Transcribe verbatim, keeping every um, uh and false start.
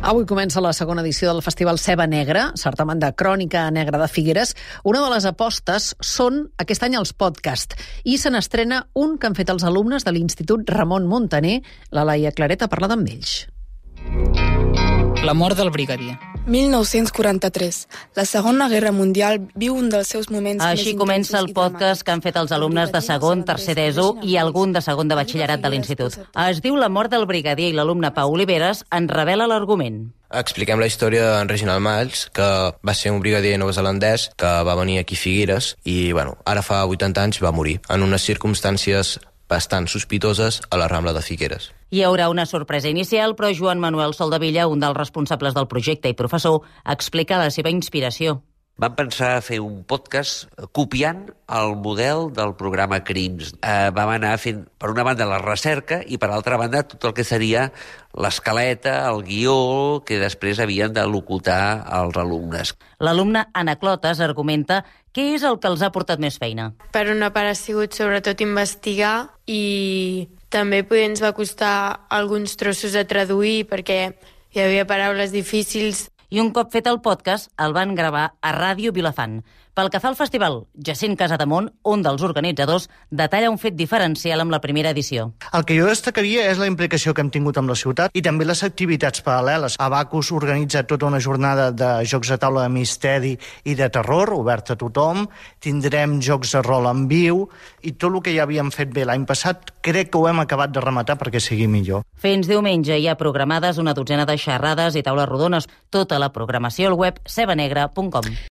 Avui comença la segona edició del Festival Ceba Negra, certamen de crònica negra de Figueres. Una de les apostes són aquest any els podcasts i se n'estrena un que han fet els alumnes de l'Institut Ramon Muntaner. La Laia Claret ha parlat amb ells. La mort del brigadier. mil nou-cents quaranta-tres. La Segona Guerra Mundial viu un dels seus moments més intensos. Així comença el podcast que han fet els alumnes de segon, tercer d'ESO i algun de segon de batxillerat de l'institut. Es diu La mort del brigadier i l'alumne Pau Oliveres en revela l'argument. Expliquem la història d'en Reginald Malls, que va ser un brigadier neozelandès que va venir aquí a Figueres i, bueno, ara fa vuitanta anys va morir en unes circumstàncies bastant sospitoses a la Rambla de Figueres. Hi haurà una sorpresa inicial, però Joan Manuel Soldevilla, un dels responsables del projecte i professor, explica la seva inspiració. Vam pensar fer un podcast copiant el model del programa Crims. Eh, vam anar fent, per una banda, la recerca i, per altra banda, tot el que seria l'escaleta, el guió, que després havien de locutar els alumnes. L'alumne Anna Clotes argumenta què és el que els ha portat més feina. Per una part ha sigut sobretot investigar i també poder ens va costar alguns trossos a traduir perquè hi havia paraules difícils. I un cop fet el podcast, el van gravar a Ràdio Vilafant. Pel que fa al festival, Jacint Casademont, un dels organitzadors, detalla un fet diferencial amb la primera edició. El que jo destacaria és la implicació que hem tingut amb la ciutat i també les activitats paral·leles. Abacus organitza tota una jornada de jocs de taula de misteri i de terror, obert a tothom. Tindrem jocs de rol en viu i tot el que ja havíem fet bé l'any passat crec que ho hem acabat de rematar perquè sigui millor. Fins diumenge hi ha programades una dotzena de xerrades i taules rodones. Tota la programació al web cebanegra punt com.